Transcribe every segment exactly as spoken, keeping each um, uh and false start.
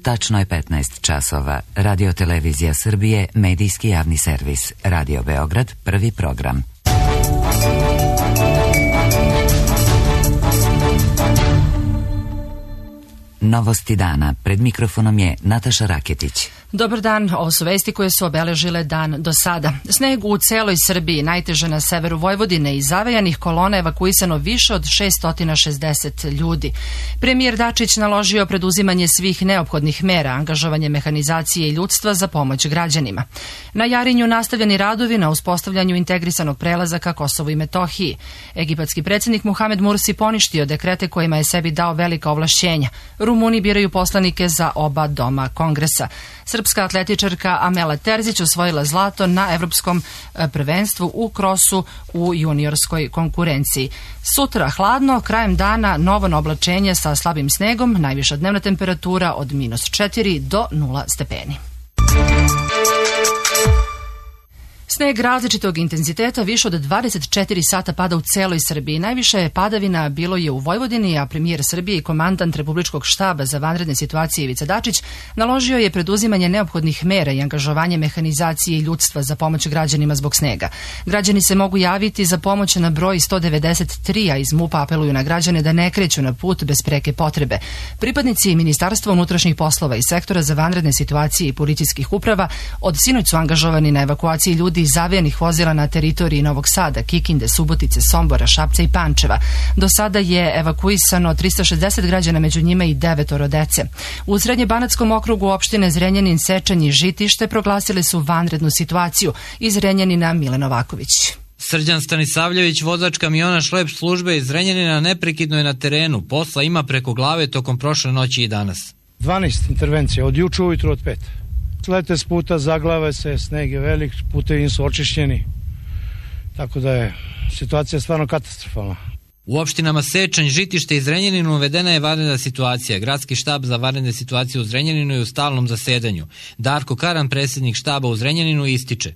Tačno je petnaest časova. Radio Televizija Srbije, medijski javni servis. Radio Beograd, prvi program. Novosti dana. Pred mikrofonom je Nataša Raketić. Dobar dan, ovo su vesti koje su obeležile dan do sada. Sneg u celoj Srbiji, najteže na severu Vojvodine, iz zavejanih kolona evakuisano više od šessto šezdeset ljudi. Premijer Dačić naložio preduzimanje svih neophodnih mera, angažovanje mehanizacije i ljudstva za pomoć građanima. Na Jarinju nastavljeni radovi na uspostavljanju integrisanog prelaza ka Kosovu i Metohiji. Egipatski predsjednik Muhamed Mursi poništio dekrete kojima je sebi dao velika ovlašćenja. Rumuni biraju poslanike za oba doma Kongresa. Srpska atletičarka Amela Terzić osvojila zlato na evropskom prvenstvu u krosu u juniorskoj konkurenciji. Sutra hladno, krajem dana novo oblačenje sa slabim snegom, najviša dnevna temperatura od minus četiri do nula stepeni. Sneg različitog intenziteta više od dvadeset četiri sata pada u celoj Srbiji. Najviše padavina bilo je u Vojvodini, a premijer Srbije i komandant Republičkog štaba za vanredne situacije Ivica Dačić naložio je preduzimanje neophodnih mera i angažovanje mehanizacije i ljudstva za pomoć građanima zbog snega. Građani se mogu javiti za pomoć na broj sto devedeset tri, a iz MUP-a apeluju na građane da ne kreću na put bez preke potrebe. Pripadnici Ministarstva unutrašnjih poslova i sektora za vanredne situacije i policijskih uprava od sinoć su angažovani na evakuaciji ljudi iz zavejanih vozila na teritoriji Novog Sada, Kikinde, Subotice, Sombora, Šapca i Pančeva. Do sada je evakuisano tristo šezdeset građana, među njima i devetoro dece. U Srednjebanatskom okrugu opštine Zrenjanin, Sečanj i Žitište proglasili su vanrednu situaciju. Iz Zrenjanina Milan Novaković. Srđan Stanisavljević, vozač kamiona šlep službe iz Zrenjanina, neprekidno je na terenu. Posla ima preko glave tokom prošle noći i danas. dvanaest intervencija, od juče ujutru od pet. Slete s puta, zaglave se, sneg je velik, putevi su očišćeni, tako da je situacija stvarno katastrofalna. U opštinama Sečanj, Žitište i Zrenjaninu uvedena je vanredna situacija. Gradski štab za vanredne situacije u Zrenjaninu je u stalnom zasedanju. Darko Karan, predsjednik štaba u Zrenjaninu, ističe: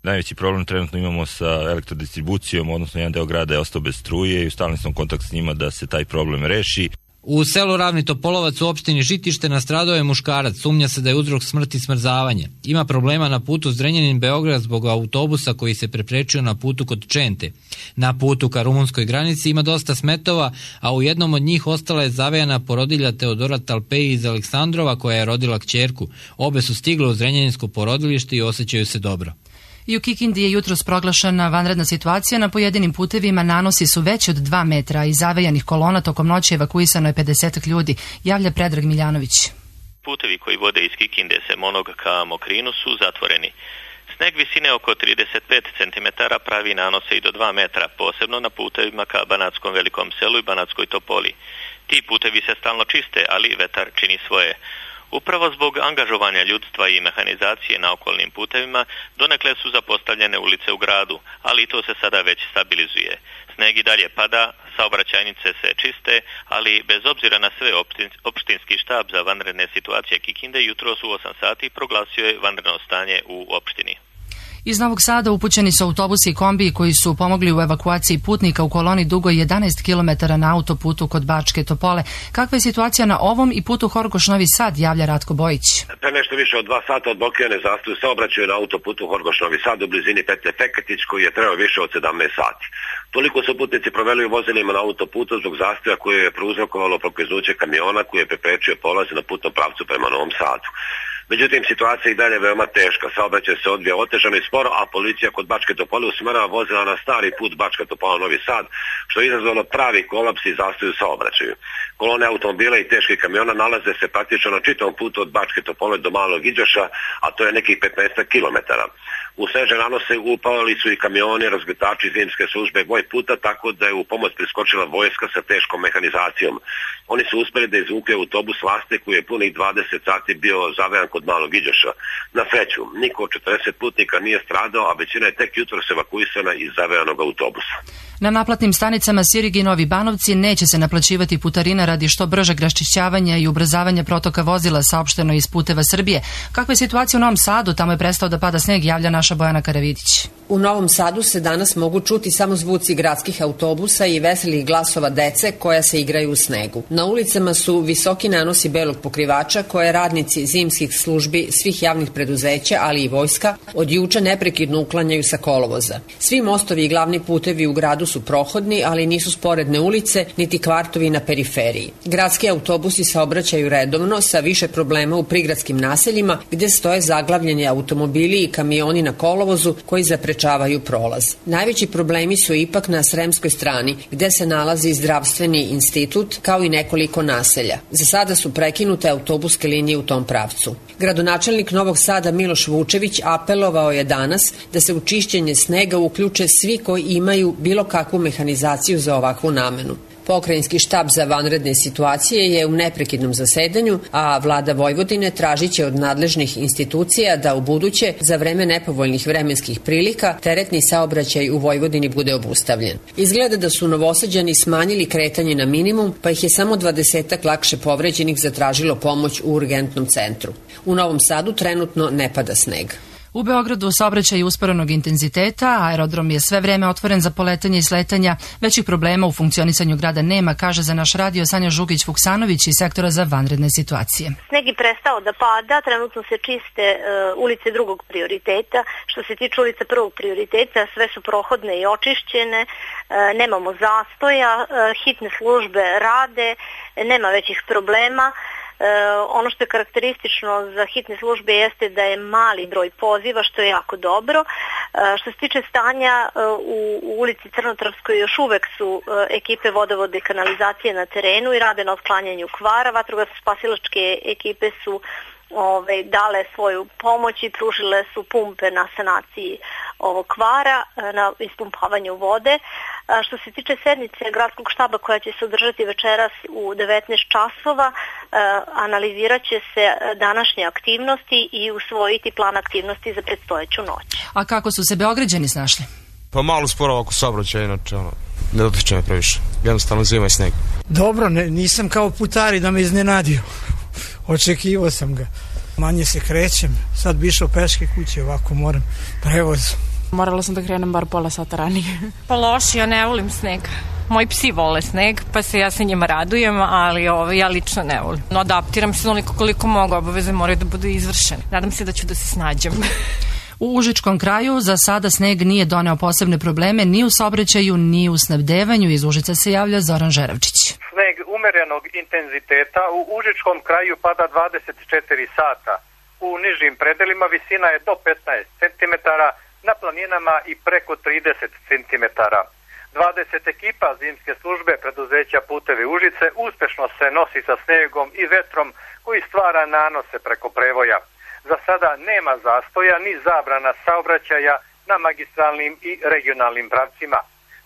Najveći problem trenutno imamo sa elektrodistribucijom, odnosno jedan deo grada je ostao bez struje i u stalnom sam kontakt s njima da se taj problem reši. U selu Ravni Topolovac u opštini Žitište nastradao je muškarac, sumnja se da je uzrok smrti smrzavanje. Ima problema na putu Zrenjanin-Beograd zbog autobusa koji se preprečio na putu kod Čente. Na putu ka rumunskoj granici ima dosta smetova, a u jednom od njih ostala je zavejana porodilja Teodora Talpeji iz Aleksandrova koja je rodila kćerku. Obe su stigle u zrenjaninsko porodilište i osjećaju se dobro. I u Kikindi je jutros proglašena vanredna situacija. Na pojedinim putevima nanosi su veći od dva metra i zavejanih kolona. Tokom noći evakuisano je pedeset ljudi, javlja Predrag Miljanović. Putevi koji vode iz Kikinde se Monog ka Mokrinu su zatvoreni. Sneg visine oko trideset pet centimetara pravi nanose i do dva metra, posebno na putevima ka Banatskom Velikom selu i Banatskoj Topoli. Ti putevi se stalno čiste, ali vetar čini svoje. Upravo zbog angažovanja ljudstva i mehanizacije na okolnim putevima donekle su zapostavljene ulice u gradu, ali to se sada već stabilizuje. Sneg i dalje pada, saobraćajnice se čiste, ali bez obzira na sve opštinski štab za vanredne situacije Kikinde jutros u osam sati proglasio je vanredno stanje u opštini. Iz Novog Sada upućeni su autobusi i kombiji koji su pomogli u evakuaciji putnika u koloni dugoj jedanaest kilometara na autoputu kod Bačke Topole. Kakva je situacija na ovom i putu Horgoš-Novi Sad, javlja Ratko Bojić. Pre nešto više od dva sata odblokirane zastoj saobraćaju na autoputu Horgoš-Novi Sad u blizini petlje Feketić koji je trebao više od sedamnaest sati. Toliko su putnici proveli u vozilima na autoputu zbog zastoja koje je prouzrokovalo prokliznuće kamiona koji je preprečio polaz na putnom pravcu prema Novom Sadu. Međutim, situacija je i dalje veoma teška. Saobraćaj se odvija otežano i sporo, a policija kod Bačke Topole usmerava vozila na stari put Bačka Topola Novi Sad, što je izazvalo pravi kolaps i zastoj u saobraćaju. Kolone automobila i teških kamiona nalaze se praktično na čitavom putu od Bačke Topole do Malog Iđoša, a to je nekih petnaest kilometara. U snežne nanose upali su i kamioni, razgutači zimske službe Voj puta, tako da je u pomoć priskočila vojska sa teškom mehanizacijom. Oni su uspeli da izvuke autobus Vaste koji je punih dvadeset sati bio zavejan kod Malog Iđoša. Na sreću, niko od četrdeset putnika nije stradao, a većina je tek jutros evakuisana iz zavejanog autobusa. Na naplatnim stanicama Sirig i Novi Banovci neće se naplaćivati putarina radi što bržeg raščišćavanja i ubrzavanja protoka vozila, saopšteno iz Puteva Srbije. Kakva je situacija u Novom Sadu? Tamo je prestao da pada sneg, javlja naša naša Bojana Karavidić. U Novom Sadu se danas mogu čuti samo zvuci gradskih autobusa i veselih glasova dece koja se igraju u snegu. Na ulicama su visoki nanosi belog pokrivača koje radnici zimskih službi svih javnih preduzeća, ali i vojska, od juče neprekidno uklanjaju sa kolovoza. Svi mostovi i glavni putevi u gradu su prohodni, ali nisu sporedne ulice, niti kvartovi na periferiji. Gradski autobusi saobraćaju redovno sa više problema u prigradskim naseljima gde stoje zaglavljeni automobili i kamioni na kolovozu koji zaprečavaju prolaz. Najveći problemi su ipak na sremskoj strani gde se nalazi zdravstveni institut kao i nekoliko naselja. Za sada su prekinute autobuske linije u tom pravcu. Gradonačelnik Novog Sada Miloš Vučević apelovao je danas da se u čišćenje snega uključe svi koji imaju bilo kakvu mehanizaciju za ovakvu namenu. Pokrajinski štab za vanredne situacije je u neprekidnom zasedanju, a vlada Vojvodine tražit će od nadležnih institucija da u buduće, za vreme nepovoljnih vremenskih prilika, teretni saobraćaj u Vojvodini bude obustavljen. Izgleda da su Novosađani smanjili kretanje na minimum, pa ih je samo dvadesetak lakše povređenih zatražilo pomoć u urgentnom centru. U Novom Sadu trenutno ne pada sneg. U Beogradu saobraćaj usporenog intenziteta, aerodrom je sve vreme otvoren za poletanje i sletanja, većih problema u funkcionisanju grada nema, kaže za naš radio Sanja Žugić-Vuksanović iz sektora za vanredne situacije. Sneg je prestao da pada, trenutno se čiste uh, ulice drugog prioriteta. Što se tiče ulica prvog prioriteta, sve su prohodne i očišćene, uh, nemamo zastoja, uh, hitne službe rade, nema većih problema. E, ono što je karakteristično za hitne službe jeste da je mali broj poziva, što je jako dobro. E, što se tiče stanja e, u, u ulici Crnotravskoj, još uvek su e, ekipe vodovode i kanalizacije na terenu i rade na otklanjanju kvara. Vatrogasno-spasilačke ekipe su Ove, dale svoju pomoć i pružile su pumpe na sanaciji ovog kvara, na ispumpavanju vode. A što se tiče sednice gradskog štaba koja će se održati večeras u devetnaest časova, a, analizirat će se današnje aktivnosti i usvojiti plan aktivnosti za predstojeću noć. A kako su se Beograđani snašli? Pa malo sporo oko saobraćaja, inače ono, ne dotiče me previše. Jednostavno zima i sneg. Dobro, ne, nisam kao putari da me iznenadio. Očekivao sam ga. Manje se krećem. Sad bi išao peške kuće, ovako moram prevoz. Morala sam da krenem bar pola sata ranije. Pa loši, ja ne volim sneg. Moji psi vole sneg, pa se ja sa njima radujem, ali ovo, ja lično ne volim. No, adaptiram se onoliko koliko mogu, obaveze moraju da budu izvršene. Nadam se da ću da se snađem. U Užičkom kraju za sada sneg nije doneo posebne probleme ni u saobraćaju, ni u snabdevanju. Iz Užica se javlja Zoran Žeravčić. Sneg umerenog intenziteta u Užičkom kraju pada dvadeset četiri sata. U nižim predelima visina je do petnaest centimetara, na planinama i preko trideset centimetara. dvadeset ekipa zimske službe preduzeća Putevi Užice uspešno se nosi sa snegom i vetrom koji stvara nanose preko prevoja. Za sada nema zastoja ni zabrana saobraćaja na magistralnim i regionalnim pravcima.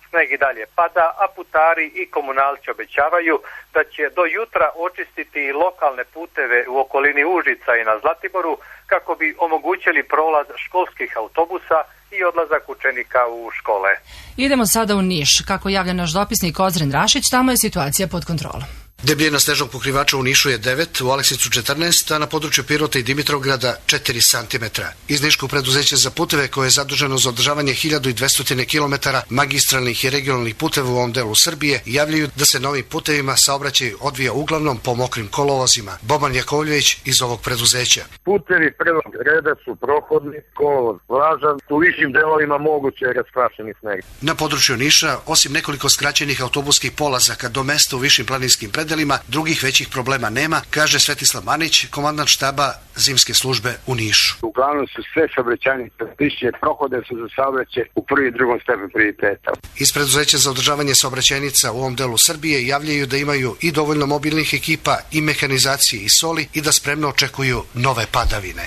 Sneg i dalje pada, a putari i komunalci obećavaju da će do jutra očistiti i lokalne puteve u okolini Užica i na Zlatiboru kako bi omogućili prolaz školskih autobusa i odlazak učenika u škole. Idemo sada u Niš. Kako javlja naš dopisnik Ozren Rašić, tamo je situacija pod kontrolom. Debljina snežnog pokrivača u Nišu je devet, u Aleksinicu četrnaest, a na području Pirota i Dimitrovgrada četiri centimetra. Iz Niškog preduzeća za puteve, koje je zaduženo za održavanje hiljadu dvesta kilometara magistralnih i regionalnih puteva u ovom delu Srbije, javljaju da se novim putevima saobraćaj odvija uglavnom po mokrim kolovozima. Boban Jakovljević iz ovog preduzeća. Putevi prvog reda su prohodni, kolovoz vlažan, u višim delovima moguće je rasprašeni sneg. Na području Niša, osim nekoliko skraćenih autobuskih polazaka do mesta u višim planinskim predelima, drugih većih problema nema, kaže Svetislav Manić, komandant štaba zimske službe u Nišu. Uglavnom su sve saobraćajnice piše, prohode su za saobraćaj u prvi i drugom stepenu prioriteta. Iz preduzeća za održavanje saobraćajnica u ovom delu Srbije javljaju da imaju i dovoljno mobilnih ekipa i mehanizacije i soli i da spremno očekuju nove padavine.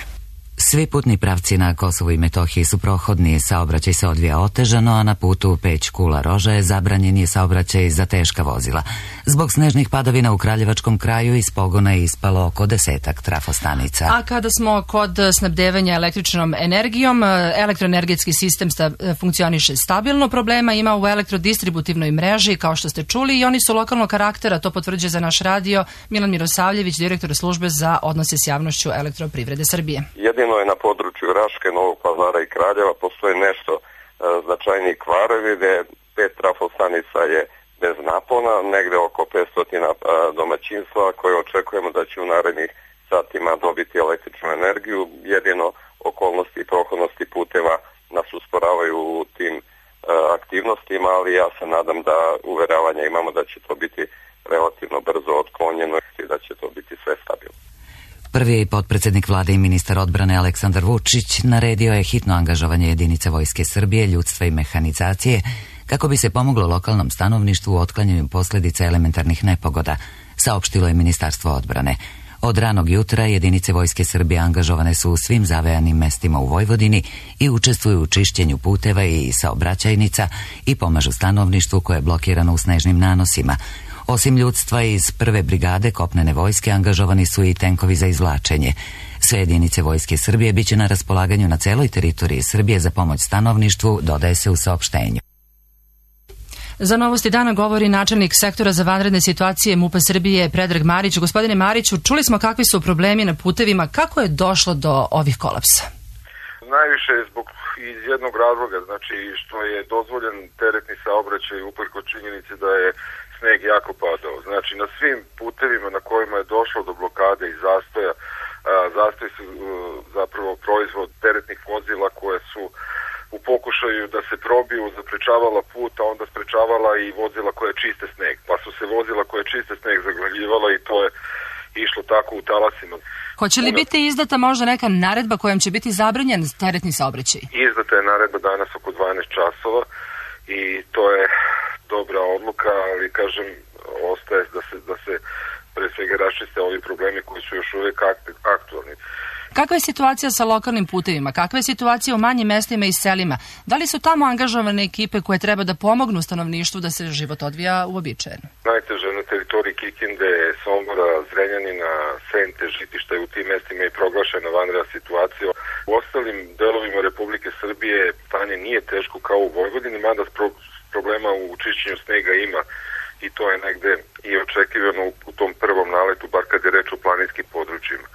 Svi putni pravci na Kosovu i Metohiji su prohodni, saobraćaj se odvija otežano, a na putu Peć-Kula-Roža je zabranjen je saobraćaj za teška vozila. Zbog snežnih padavina u Kraljevačkom kraju iz pogona je ispalo oko desetak trafostanica. A kada smo kod snabdevanja električnom energijom, elektroenergetski sistem sta, funkcioniše stabilno, problema ima u elektrodistributivnoj mreži, kao što ste čuli, i oni su lokalnog karaktera, to potvrđuje za naš radio Milan Mirosavljević, direktor službe za odnose s javnošću Elektroprivrede Srbije. Jedin Jedino je na području Raške, Novog Pazara i Kraljeva postoje nešto e, značajniji kvarovi, gde pet trafostanica je bez napona, negde oko petsto domaćinstva koje očekujemo da će u narednih satima dobiti električnu energiju. Jedino okolnosti i prohodnosti puteva nas usporavaju u tim e, aktivnostima, ali ja se nadam da uveravanja imamo da će to biti relativno brzo otklonjeno i da će to biti sve stabilno. Prvi potpredsjednik vlade i ministar odbrane Aleksandar Vučić naredio je hitno angažovanje jedinice Vojske Srbije, ljudstva i mehanizacije kako bi se pomoglo lokalnom stanovništvu u otklanjanju posljedica elementarnih nepogoda, saopštilo je Ministarstvo odbrane. Od ranog jutra jedinice Vojske Srbije angažovane su u svim zavejanim mestima u Vojvodini i učestvuju u čišćenju puteva i saobraćajnica i pomažu stanovništvu koje je blokirano u snežnim nanosima. Osim ljudstva iz prve brigade kopnene vojske angažovani su i tenkovi za izvlačenje. Sve jedinice Vojske Srbije biće na raspolaganju na celoj teritoriji Srbije za pomoć stanovništvu, dodaje se u saopštenju. Za Novosti dana govori načelnik sektora za vanredne situacije MUP-a Srbije Predrag Marić. Gospodine Mariću, čuli smo kakvi su problemi na putevima, kako je došlo do ovih kolapsa? Najviše je zbog iz jednog razloga, znači što je dozvoljen teretni saobraćaj uprkos činjenici da je sneg jako padao. Znači na svim putevima na kojima je došlo do blokade i zastoja, a, zastoj su a, zapravo proizvod teretnih vozila koje su u pokušaju da se probiju zaprečavala put, a onda sprečavala i vozila koje čiste sneg. Pa su se vozila koje čiste sneg zaglavljivala i to je išlo tako u talasima. Hoće li biti izdata možda neka naredba kojom će biti zabranjen teretni saobraćaj? Izdata je naredba danas oko dvanaest časova i to je dobra odluka, ali kažem, ostaje da se, da se pre svega raščiste ovi problemi koji su još uvijek aktualni. Kakva je situacija sa lokalnim putevima? Kakva je situacija u manjim mestima i selima? Da li su tamo angažovane ekipe koje treba da pomognu stanovništvu da se život odvija uobičajeno? Najteže na teritoriji Kikinde, Sombora, Zrenjanina, Sente, Žitišta i u tim mestima je proglašena vanredna situacija. U ostalim delovima Republike Srbije stanje nije teško kao u Vojvodini, mada problema u čišćenju snega ima i to je negde i očekivano u tom prvom naletu, bar kad je reč o planinskim područjima.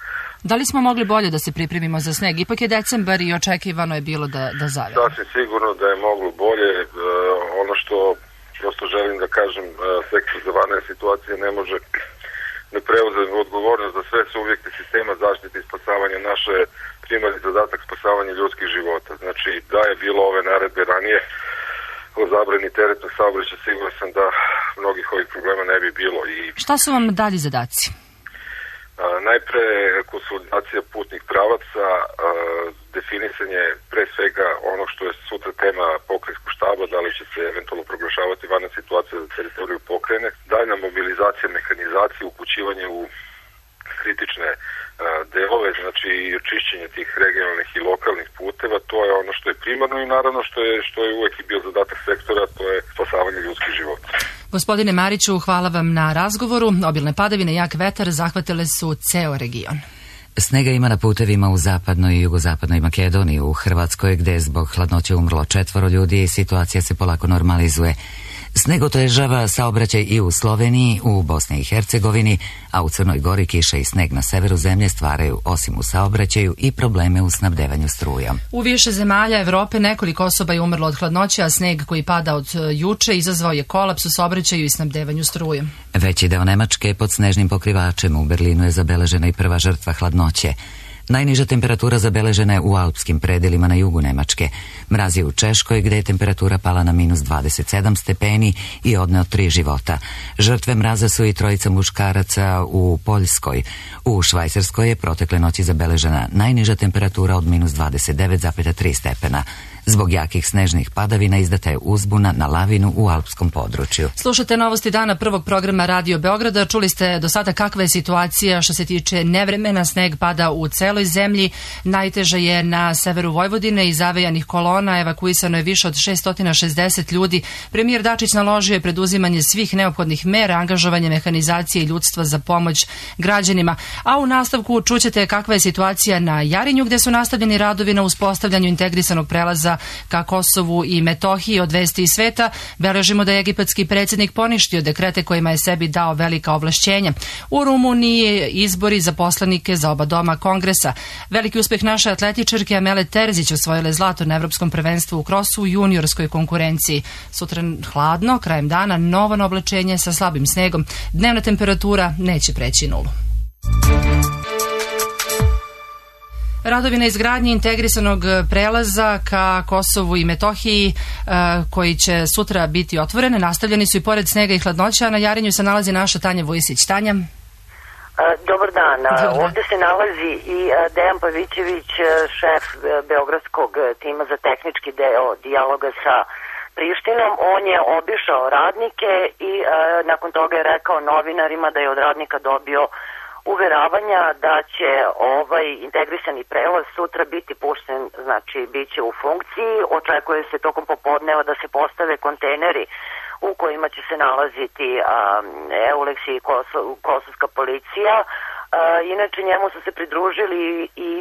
Da li smo mogli bolje da se pripremimo za sneg? Ipak je decembar i očekivano je bilo da, da zavije. Sasvim sigurno da je moglo bolje. E, ono što prosto želim da kažem, e, sektor za vanredne situacije ne može da preuzme odgovornost za sve subjekte sistema zaštite i spasavanja. Naše primarni zadatak spasavanja ljudskih života. Znači, da je bilo ove naredbe ranije o zabrani teretnog saobraćaja, siguran sam da mnogih ovih problema ne bi bilo. I šta su vam dalji zadaci? A, najpre konsolidacija putnih pravaca, a, definisanje pre svega ono što je sutra tema pokrajinskog štaba, da li će se eventualno proglašavati vanredna situacija za teritoriju pokrajine, daljna mobilizacija mehanizacije, upućivanje u kritične a, delove, znači čišćenje tih regionalnih i lokalnih puteva, to je ono što je primarno i naravno što je, što je uvek i bio zadatak sektora, to je spasavanje ljudskih života. Gospodine Mariću, hvala vam na razgovoru. Obilne padavine i jak vetar zahvatile su ceo region. Snega ima na putevima u zapadnoj i jugozapadnoj Makedoniji, u Hrvatskoj gde je zbog hladnoće umrlo četvoro ljudi i situacija se polako normalizuje. Sneg otežava saobraćaj i u Sloveniji, u Bosni i Hercegovini, a u Crnoj Gori kiša i sneg na severu zemlje stvaraju, osim u saobraćaju, i probleme u snabdevanju strujom. U više zemalja Evrope nekoliko osoba je umrlo od hladnoće, a sneg koji pada od juče izazvao je kolaps u saobraćaju i snabdevanju strujom. Veći deo Nemačke pod snežnim pokrivačem, u Berlinu je zabeležena i prva žrtva hladnoće. Najniža temperatura zabeležena je u alpskim predelima na jugu Nemačke. Mraz je u Češkoj gde je temperatura pala na minus dvadeset sedam stepeni i odneo tri života. Žrtve mraza su i trojica muškaraca u Poljskoj. U Švajcarskoj je protekle noći zabeležena najniža temperatura od minus dvadeset devet zarez tri stepena. Zbog jakih snežnih padavina izdata je uzbuna na lavinu u alpskom području. Slušate Novosti dana prvog programa Radio Beograda. Čuli ste do sada kakva je situacija što se tiče nevremena. Sneg pada u celoj zemlji. Najteže je na severu Vojvodine. Iz zavejanih kolona evakuisano je više od šessto šezdeset ljudi. Premijer Dačić naložio je preduzimanje svih neophodnih mera, angažovanje mehanizacije i ljudstva za pomoć građanima. A u nastavku čućete kakva je situacija na Jarinju, gde su nastavljeni radovi na uspostavljanju integrisanog prelaza pregovora ka Kosovu i Metohiji od vesti iz sveta, beležimo da je egipatski predsjednik poništio dekrete kojima je sebi dao velika ovlašćenja. U Rumuniji izbori za poslanike za oba doma Kongresa. Veliki uspeh naše atletičarke Amele Terzić osvojile zlato na evropskom prvenstvu u krosu u juniorskoj konkurenciji. Sutra hladno, krajem dana novo oblačenje sa slabim snegom. Dnevna temperatura neće preći nulu. Radovi na izgradnji integrisanog prelaza ka Kosovu i Metohiji koji će sutra biti otvorene nastavljeni su i pored snega i hladnoća. Na Jarinju se nalazi naša Tanja Vujisić. Tanja. Dobar dan. Ovdje se nalazi i Dejan Pavićević, šef beogradskog tima za tehnički deo dijaloga sa Prištinom. On je obišao radnike i nakon toga je rekao novinarima da je od radnika dobio uveravanja da će ovaj integrisani prelaz sutra biti pušten, znači bit će u funkciji. Očekuje se tokom popodneva da se postave kontejneri u kojima će se nalaziti Eulex i kosovska policija. Inače njemu su se pridružili i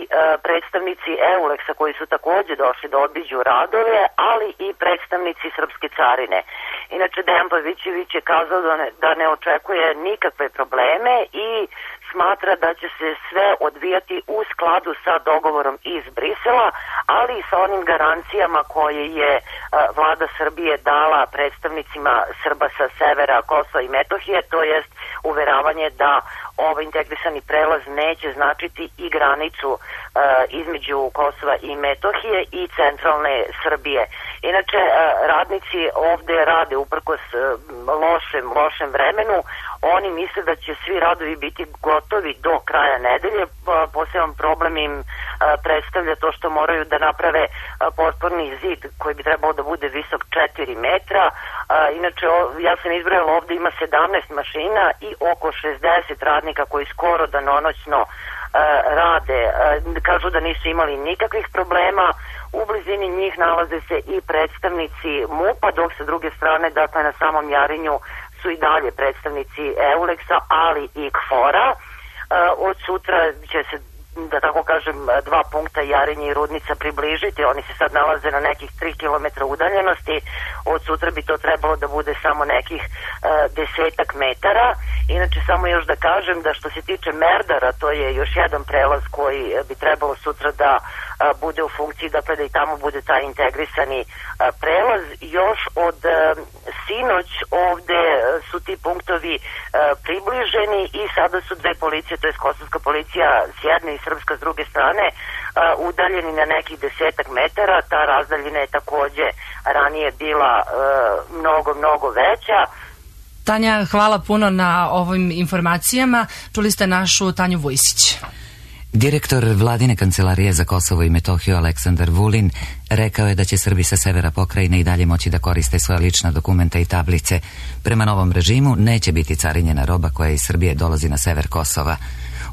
predstavnici Eulexa koji su također došli da obiđu radove, ali i predstavnici srpske carine. Inače Dejan Pavićević je kazao da ne, da ne očekuje nikakve probleme i smatra da će se sve odvijati u skladu sa dogovorom iz Brisela, ali i sa onim garancijama koje je vlada Srbije dala predstavnicima Srba sa severa Kosova i Metohije, to jest uveravanje da ovaj integrisani prelaz neće značiti i granicu uh, između Kosova i Metohije i centralne Srbije. Inače, uh, radnici ovde rade uprkos uh, lošem, lošem vremenu. Oni misle da će svi radovi biti gotovi do kraja nedelje. Uh, poseban problem im uh, predstavlja to što moraju da naprave uh, potporni zid koji bi trebalo da bude visok četiri metra. Uh, inače, o, ja sam izbrojala, ovde ima sedamnaest mašina i oko šezdeset radnika koji skoro danonoćno uh, rade. Uh, kažu da nisu imali nikakvih problema. U blizini njih nalaze se i predstavnici MUP-a, dok sa druge strane, dakle na samom Jarinju, su i dalje predstavnici Eulexa, ali i K F O R-a. Uh, od sutra će se, da tako kažem, dva punkta Jarinje i Rudnica približiti. Oni se sad nalaze na nekih tri kilometra udaljenosti. Od sutra bi to trebalo da bude samo nekih uh, desetak metara. Inače, samo još da kažem da što se tiče Merdara, to je još jedan prelaz koji bi trebalo sutra da uh, bude u funkciji, dakle da i tamo bude taj integrisani uh, prelaz. Još od uh, sinoć ovde su ti punktovi uh, približeni i sada su dve policije, to je kosovska policija s jedne i srpska s druge strane, uh, udaljeni na nekih desetak metara. Ta razdaljina je takođe ranije bila uh, mnogo, mnogo veća. Tanja, hvala puno na ovim informacijama. Čuli ste našu Tanju Vujisić. Direktor Vladine kancelarije za Kosovo i Metohiju Aleksandar Vulin rekao je da će Srbi sa severa pokrajine i dalje moći da koriste svoje lična dokumenta i tablice. Prema novom režimu neće biti carinjena roba koja iz Srbije dolazi na sever Kosova.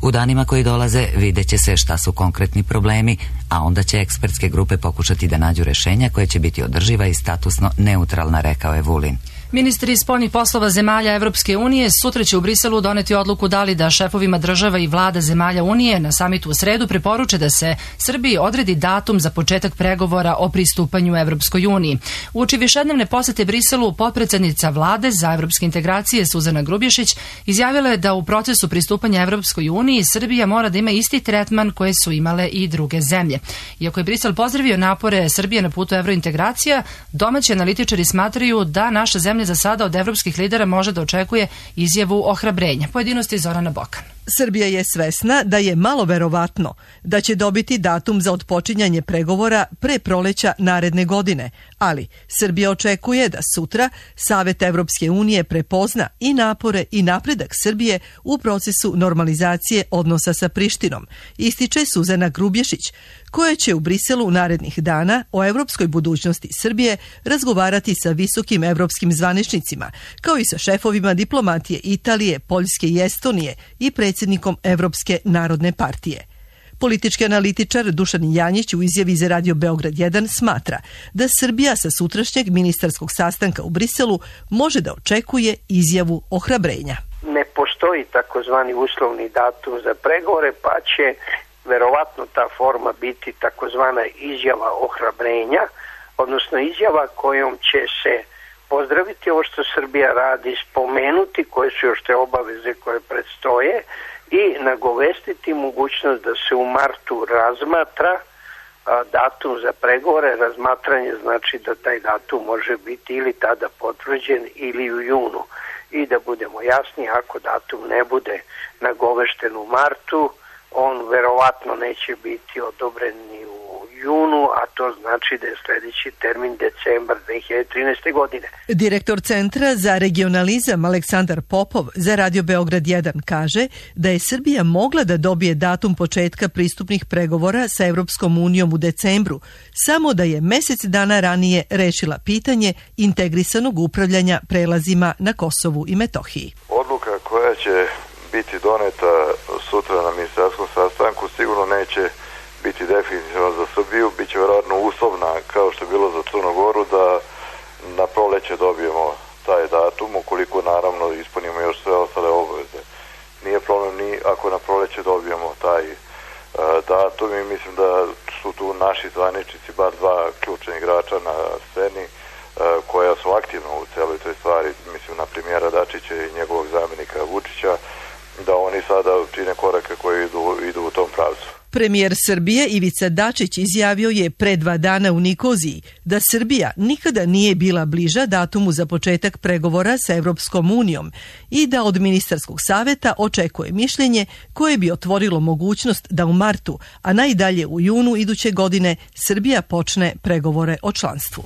U danima koji dolaze vidjet će se šta su konkretni problemi, a onda će ekspertske grupe pokušati da nađu rešenja koje će biti održiva i statusno neutralna, rekao je Vulin. Ministri spoljnih poslova zemalja Evropske unije sutra će u Briselu doneti odluku da li da šefovima država i vlada zemalja Unije na samitu u sredu preporuče da se Srbiji odredi datum za početak pregovora o pristupanju Evropskoj uniji. Uoči višednevne posete Briselu, potpredsednica vlade za evropske integracije Suzana Grubješić izjavila je da u procesu pristupanja Evropskoj uniji Srbija mora da ima isti tretman koje su imale i druge zemlje. Iako je Brisel pozdravio napore Srbije na putu evrointegracija, domaći analitičari smatraju da naša zemlja za sada od evropskih lidera može da očekuje izjavu ohrabrenja. Pojedinosti Zorana Bokan. Srbija je svesna da je malo verovatno da će dobiti datum za otpočinjanje pregovora pre proleća naredne godine, ali Srbija očekuje da sutra Savet Evropske unije prepozna i napore i napredak Srbije u procesu normalizacije odnosa sa Prištinom, ističe Suzana Grubješić, koja će u Briselu narednih dana o evropskoj budućnosti Srbije razgovarati sa visokim evropskim zvaničnicima, kao i sa šefovima diplomatije Italije, Poljske i Estonije i predsjednikom Evropske narodne partije. Politički analitičar Dušan Janjić u izjavi za Radio Beograd jedan smatra da Srbija sa sutrašnjeg ministarskog sastanka u Briselu može da očekuje izjavu ohrabrenja. Ne postoji takozvani uslovni datum za pregovore, pa će verovatno ta forma biti takozvana izjava ohrabrenja, odnosno izjava kojom će se pozdraviti ovo što Srbija radi, spomenuti koje su još te obaveze koje predstoje i nagovestiti mogućnost da se u martu razmatra datum za pregovore. Razmatranje znači da taj datum može biti ili tada potvrđen ili u junu. I da budemo jasni, ako datum ne bude nagovešten u martu, on verovatno neće biti odobren ni u junu, a to znači da je sledeći termin decembar dve hiljade trinaeste. godine. Direktor Centra za regionalizam Aleksandar Popov za Radio Beograd jedan kaže da je Srbija mogla da dobije datum početka pristupnih pregovora sa Evropskom unijom u decembru, samo da je mesec dana ranije rešila pitanje integrisanog upravljanja prelazima na Kosovu i Metohiji. Odluka koja će biti doneta sutra na ministarskom sastanku sigurno neće biti definitivno za Srbiju, bit će vjerojatno uslovna kao što je bilo za Crnu Goru da na proleće dobijemo taj datum, ukoliko naravno ispunimo još sve ostale obaveze. Nije problem ni ako na proleće dobijemo taj uh, datum i mislim da su tu naši zvaničnici, bar dva ključna igrača na sceni uh, koja su aktivna u celoj toj stvari, mislim na premijera Dačića i njegovog zamjenika Vučića, da oni sada čine korake koji idu, idu u tom pravcu. Premijer Srbije Ivica Dačić izjavio je pre dva dana u Nikoziji da Srbija nikada nije bila bliža datumu za početak pregovora sa Evropskom unijom i da od ministarskog saveta očekuje mišljenje koje bi otvorilo mogućnost da u martu, a najdalje u junu iduće godine, Srbija počne pregovore o članstvu.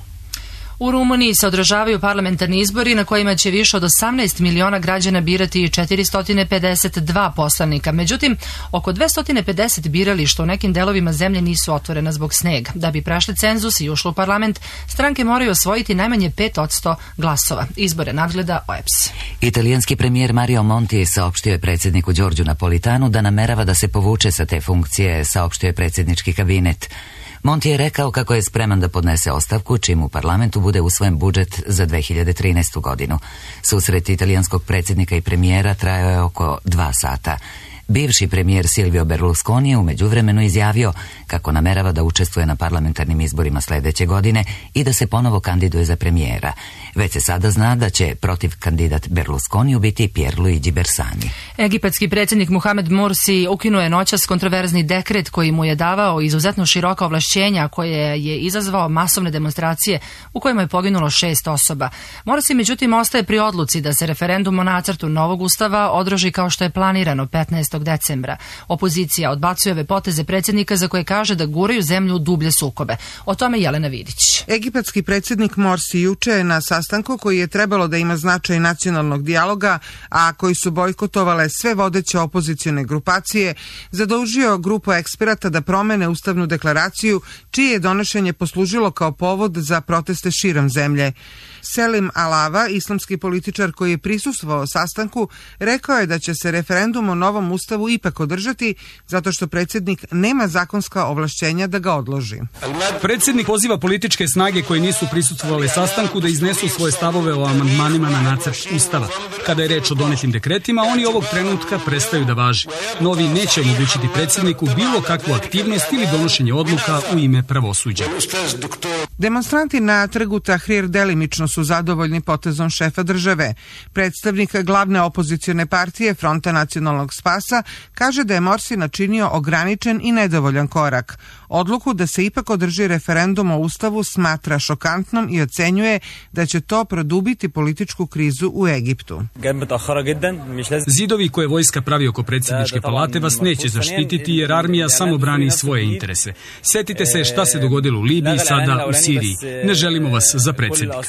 U Rumuniji se održavaju parlamentarni izbori na kojima će više od osamnaest miliona građana birati četiristo pedeset dva poslanika. Međutim, oko dvesta pedeset birališta u nekim delovima zemlje nisu otvorena zbog snega. Da bi prešli cenzus i ušli u parlament, stranke moraju osvojiti najmanje pet posto glasova. Izbore nadgleda O E P S. Italijanski premijer Mario Monti saopštio je predsjedniku Đorđu Napolitanu da namerava da se povuče sa te funkcije, saopštio je predsjednički kabinet. Monti je rekao kako je spreman da podnese ostavku čim u parlamentu bude usvojen budžet za dve hiljade trinaestu. godinu. Susret italijanskog predsjednika i premijera trajao je oko dva sata. Bivši premijer Silvio Berlusconi je u međuvremenu izjavio kako namerava da učestvuje na parlamentarnim izborima sljedeće godine i da se ponovo kandiduje za premijera. Već se sada zna da će protiv kandidat Berlusconiju biti Pierluigi Bersani. Egipatski predsjednik Muhamed Mursi ukinuo je noćas kontroverzni dekret koji mu je davao izuzetno široka ovlašćenja koje je izazvao masovne demonstracije u kojima je poginulo šest osoba. Mursi međutim ostaje pri odluci da se referendum o nacrtu novog ustava održi kao što je planirano petnaestog decembra. Opozicija odbacuje ove poteze predsjednika za koje kaže da guraju zemlju u dublje sukobe. O tome Jelena Vidić. Egipatski predsjednik Morsi juče je na sastanku koji je trebalo da ima značaj nacionalnog dijaloga, a koji su bojkotovale sve vodeće opozicione grupacije, zadužio grupu eksperata da promene ustavnu deklaraciju, čije je donošenje poslužilo kao povod za proteste širom zemlje. Selim Alava, islamski političar koji je prisustvovao sastanku, rekao je da će se referendum o novom ustavu ipak održati zato što predsjednik nema zakonska ovlašćenja da ga odloži. Predsjednik poziva političke snage koje nisu prisustvovale sastanku da iznesu svoje stavove o amandmanima na nacrt ustava. Kada je reč o donetim dekretima, oni ovog trenutka prestaju da važi. Novi neće omogućiti predsjedniku bilo kakvu aktivnost ili donošenje odluka u ime pravosuđa. Demonstranti na trgu Tahrir delimično su zadovoljni potezom šefa države. Predstavnik glavne opozicione partije Fronta nacionalnog spasa kaže da je Morsi načinio ograničen i nedovoljan korak. Odluku da se ipak održi referendum o ustavu smatra šokantnom i ocenjuje da će to produbiti političku krizu u Egiptu. Zidovi koje vojska pravi oko predsjedničke palate vas neće zaštititi jer armija samo brani svoje interese. Sjetite se šta se dogodilo u Libiji, sada u Siriji. Ne želimo vas za predsjednika.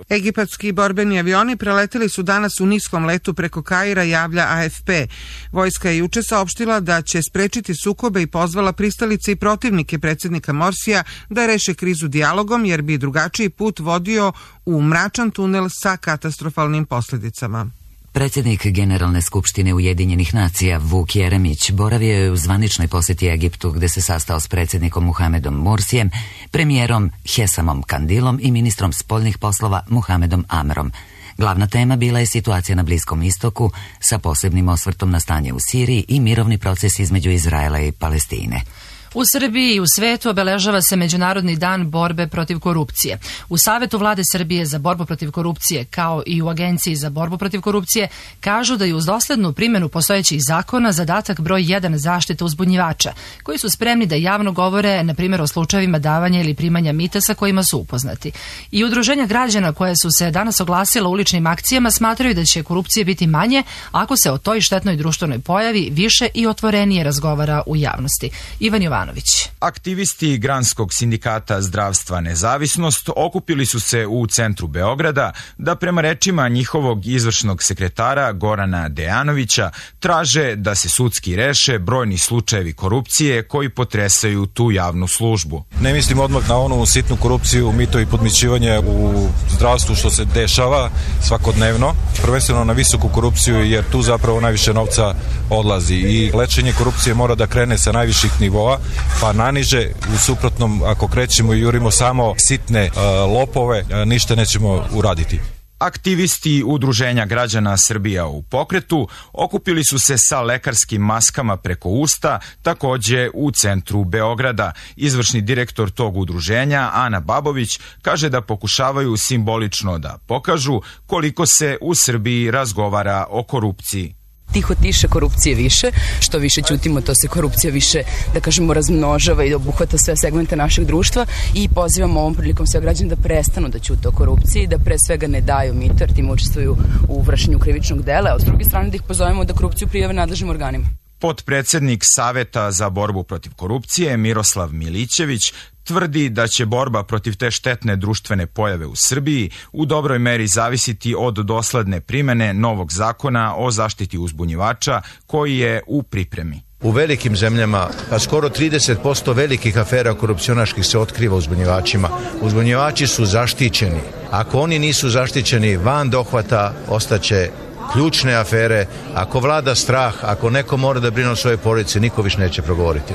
Egipatski borbeni avioni preleteli su danas u niskom letu preko Kaira, javlja A F P. Vojska je juče saopštila da će sprečiti sukobe i pozvala pristalice i protivnike predsjednika Morsija da reše krizu dijalogom jer bi drugačiji put vodio u mračan tunel sa katastrofalnim posljedicama. Predsjednik Generalne skupštine Ujedinjenih nacija Vuk Jeremić boravio je u zvaničnoj posjeti Egiptu gdje se sastao s predsjednikom Muhamedom Mursijem, premijerom Hesamom Kandilom i ministrom spoljnih poslova Muhamedom Amrom. Glavna tema bila je situacija na Bliskom istoku sa posebnim osvrtom na stanje u Siriji i mirovni proces između Izraela i Palestine. U Srbiji i u svetu obeležava se Međunarodni dan borbe protiv korupcije. U Savetu vlade Srbije za borbu protiv korupcije, kao i u Agenciji za borbu protiv korupcije, kažu da je uz doslednu primjenu postojećih zakona zadatak broj jedan zaštita uzbunjivača, koji su spremni da javno govore, na primjer, o slučajevima davanja ili primanja mita sa kojima su upoznati. I udruženja građana koje su se danas oglasila uličnim akcijama smatraju da će korupcije biti manje ako se o toj štetnoj društvenoj pojavi više i otvorenije razgovara u javnosti. Ivan Jovanović. Aktivisti Granskog sindikata Zdravstva Nezavisnost okupili su se u centru Beograda da prema rečima njihovog izvršnog sekretara Gorana Dejanovića traže da se sudski reše brojni slučajevi korupcije koji potresaju tu javnu službu. Ne mislim odmah na onu sitnu korupciju, mito i podmićivanje u zdravstvu što se dešava svakodnevno, prvenstveno na visoku korupciju jer tu zapravo najviše novca odlazi i lečenje korupcije mora da krene sa najviših nivoa pa naniže, u suprotnom ako krećemo i jurimo samo sitne uh, lopove, uh, ništa nećemo uraditi. Aktivisti Udruženja građana Srbija u pokretu okupili su se sa lekarskim maskama preko usta, takođe u centru Beograda. Izvršni direktor tog udruženja, Ana Babović, kaže da pokušavaju simbolično da pokažu koliko se u Srbiji razgovara o korupciji. Tiho tiše, korupcije više, što više ćutimo, to se korupcija više, da kažemo, razmnožava i obuhvata sve segmente našeg društva i pozivamo ovom prilikom sve građane da prestanu da ćute o korupciji, da pre svega ne daju mito, jer tim učestvuju u vršenju krivičnog dela, a s druge strane da ih pozovemo da korupciju prijave nadležnim organima. Potpredsednik Saveta za borbu protiv korupcije Miroslav Milićević tvrdi da će borba protiv te štetne društvene pojave u Srbiji u dobroj meri zavisiti od dosledne primene novog zakona o zaštiti uzbunjivača koji je u pripremi. U velikim zemljama, pa skoro trideset posto velikih afera korupcionaških se otkriva uzbunjivačima. Uzbunjivači su zaštićeni. Ako oni nisu zaštićeni, van dohvata ostaće ključne afere. Ako vlada strah, ako neko mora da brine o svojoj porodici, niko više neće progovoriti.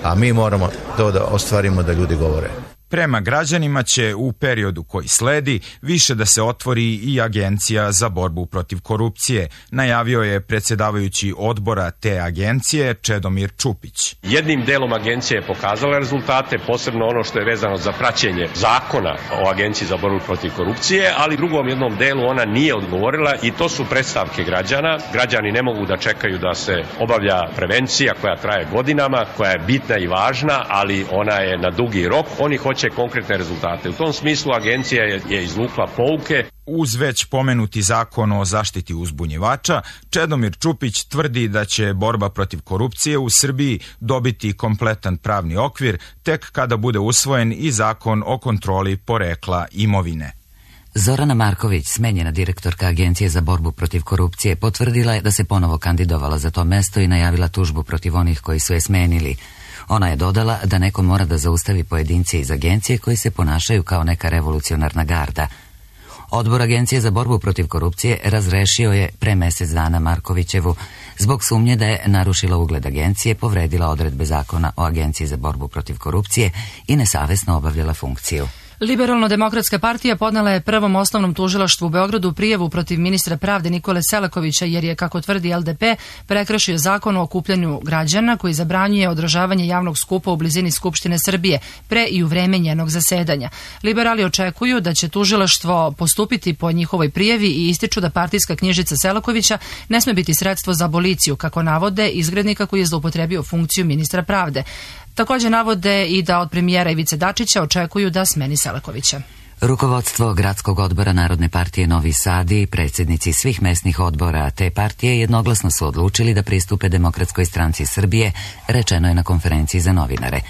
A mi moramo to da ostvarimo da ljudi govore. Prema građanima će u periodu koji sledi više da se otvori i Agencija za borbu protiv korupcije, najavio je predsjedavajući odbora te agencije Čedomir Čupić. Jednim delom agencija je pokazala rezultate, posebno ono što je vezano za praćenje zakona o Agenciji za borbu protiv korupcije, ali drugom jednom delu ona nije odgovorila i to su predstavke građana. Građani ne mogu da čekaju da se obavlja prevencija koja traje godinama, koja je bitna i važna, ali ona je na dugi rok. Oni hoće konkretne rezultate. U tom smislu agencija je, je izvukla pouke. Uz već pomenuti zakon o zaštiti uzbunjivača, Čedomir Čupić tvrdi da će borba protiv korupcije u Srbiji dobiti kompletan pravni okvir tek kada bude usvojen i zakon o kontroli porekla imovine. Zorana Marković, smenjena direktorka Agencije za borbu protiv korupcije, potvrdila je da se ponovo kandidovala za to mesto i najavila tužbu protiv onih koji su je smenili. Ona je dodala da neko mora da zaustavi pojedince iz agencije koji se ponašaju kao neka revolucionarna garda. Odbor Agencije za borbu protiv korupcije razrešio je pre mesec dana Markovićevu zbog sumnje da je narušila ugled agencije, povredila odredbe zakona o Agenciji za borbu protiv korupcije i nesavesno obavljala funkciju. Liberalno-demokratska partija podnela je prvom osnovnom tužilaštvu u Beogradu prijavu protiv ministra pravde Nikole Selakovića jer je, kako tvrdi L D P, prekršio zakon o okupljanju građana koji zabranjuje održavanje javnog skupa u blizini Skupštine Srbije pre i u vreme njenog zasedanja. Liberali očekuju da će tužilaštvo postupiti po njihovoj prijavi i ističu da partijska knjižica Selakovića ne sme biti sredstvo za aboliciju, kako navode izgrednika koji je zloupotrebio funkciju ministra pravde. Također navode i da od premijera Ivice Dačića očekuju da smeni Selakovića. Rukovodstvo Gradskog odbora Narodne partije Novi Sad i predsjednici svih mesnih odbora te partije jednoglasno su odlučili da pristupe Demokratskoj stranci Srbije, rečeno je na konferenciji za novinare.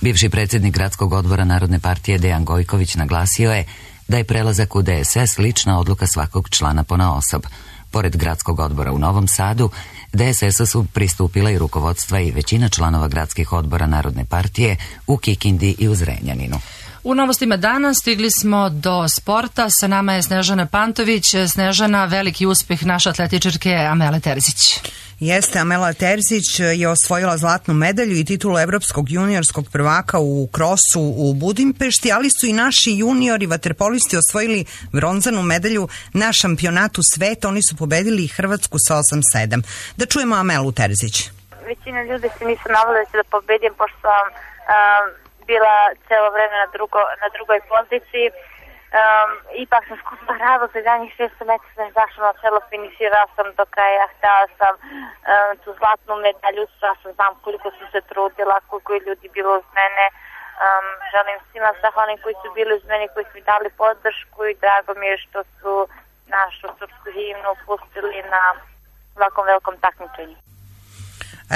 Bivši predsjednik Gradskog odbora Narodne partije Dejan Gojković naglasio je da je prelazak u D S S lična odluka svakog člana ponaosob. Pored Gradskog odbora u Novom Sadu, D S S su pristupila i rukovodstva i većina članova gradskih odbora Narodne partije u Kikindi i u Zrenjaninu. U novostima dana stigli smo do sporta. Sa nama je Snežana Pantović. Snežana, veliki uspjeh naše atletičarke Amele Terzić. Jeste, Amela Terzić je osvojila zlatnu medalju i titulu evropskog juniorskog prvaka u krosu u Budimpešti, ali su i naši juniori vaterpolisti osvojili bronzanu medalju na šampionatu sveta. Oni su pobedili Hrvatsku sa osam sedam. Da čujemo Amelu Terzić. većina ljudi se nisu navali da će da pobedim, pošto sam um, bila celo vreme na, drugo, na drugoj poziciji. Um, ipak sam skupa rado za danjih šesto metara sam zašla na celo, finiširala sam do kraja, htjela sam um, tu zlatnu medalju, sva sam znam koliko sam se trudila, koliko je ljudi bilo uz mene. Um, želim svima zahvalnim koji su bili uz mene, koji su mi dali podršku i drago mi je što su našu srpsku himnu pustili na ovakvom velikom takmičenju.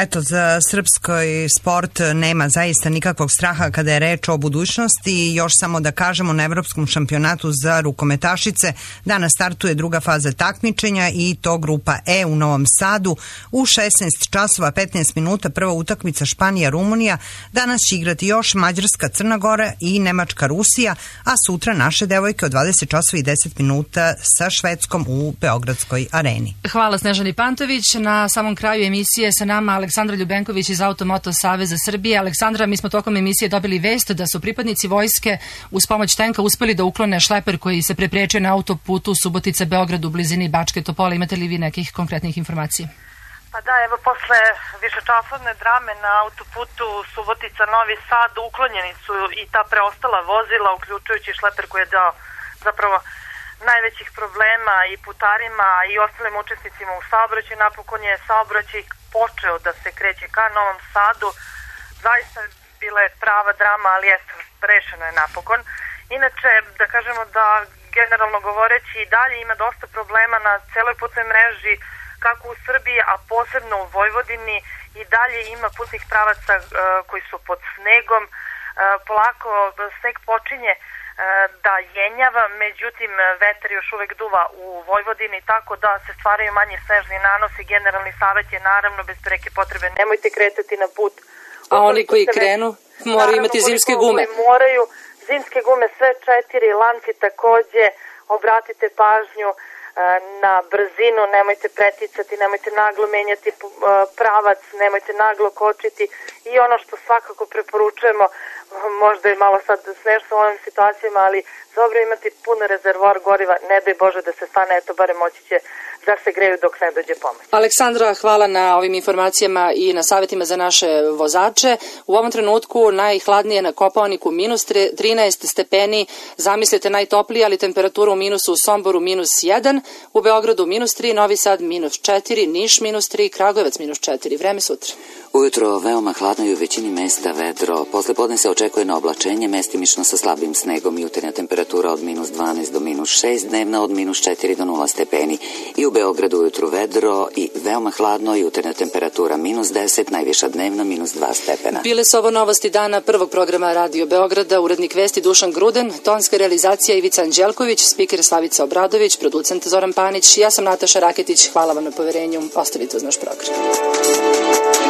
Eto, za srpski sport nema zaista nikakvog straha kada je reč o budućnosti. Još samo da kažemo, na Evropskom šampionatu za rukometašice danas startuje druga faza takmičenja i to grupa E u Novom Sadu u šesnaest časova petnaest minuta, prva utakmica Španija-Rumunija. Danas će igrati još Mađarska, Crna Gora i Nemačka, Rusija, a sutra naše devojke od dvadeset časova i deset minuta sa Švedskom u Beogradskoj areni. Hvala Snežani Pantović. Na samom kraju emisije sa nama Aleksandra Ljubenković iz Automoto Saveza Srbije. Aleksandra, mi smo tokom emisije dobili vest da su pripadnici vojske uz pomoć tenka uspeli da uklone šleper koji se preprečio na autoputu Subotica-Beograd u blizini Bačke Topole. Imate li vi nekih konkretnih informacija? Pa da, evo, posle višečasovne drame na autoputu Subotica-Novi Sad uklonjeni su i ta preostala vozila, uključujući šleper koji je dao zapravo najvećih problema i putarima i ostalim učesnicima u saobraćaju. Napokon je saobraćaj počeo da se kreće ka Novom Sadu. Zaista bila je prava drama, ali jeste, rešeno je napokon. Inače, da kažemo da generalno govoreći i dalje ima dosta problema na celoj putnoj mreži, kako u Srbiji, a posebno u Vojvodini. I dalje ima putnih pravaca uh, koji su pod snegom. Uh, polako sneg počinje da jenjava, međutim vetar još uvek duva u Vojvodini, tako da se stvaraju manje snežni nanosi. Generalni savjet je naravno bez preke potrebe nemojte kretati na put. A oni koji krenu moraju imati zimske gume. Moraju zimske gume, sve četiri, lanci takođe. Obratite pažnju na brzinu, nemojte preticati, nemojte naglo menjati pravac, nemojte naglo kočiti i ono što svakako preporučujemo, možda je malo sad smešno u ovim situacijama, ali dobro imati pun rezervoar goriva, ne daj Bože da se stane, eto barem moći će da se greju dok ne dođe pomoć. Aleksandra, hvala na ovim informacijama i na savjetima za naše vozače. U ovom trenutku najhladnije na Kopaoniku minus trinaest stepeni, zamislite najtoplije, ali temperatura u minusu u Somboru minus jedan, u Beogradu minus tri, Novi Sad minus četiri, Niš minus tri, Kragujevac minus četiri. Vreme sutra. Ujutro veoma hladno i u većini mesta vedro. Posle podne se očekuje na oblačenje, mestimično sa slabim snegom, jutarnja temperatura od minus dvanaest do minus šest, dnevna od minus četiri do nula stepeni. I u Beogradu ujutru vedro i veoma hladno, jutarnja temperatura minus deset, najviša dnevna minus dva stepena. Bile su ovo novosti dana prvog programa Radio Beograda, urednik vesti Dušan Gruden, tonska realizacija Ivica Anđelković, spiker Slavica Obradović, producent Zoran Panić, ja sam Nataša Raketić, hvala vam na poverenju, ostavite uz naš program.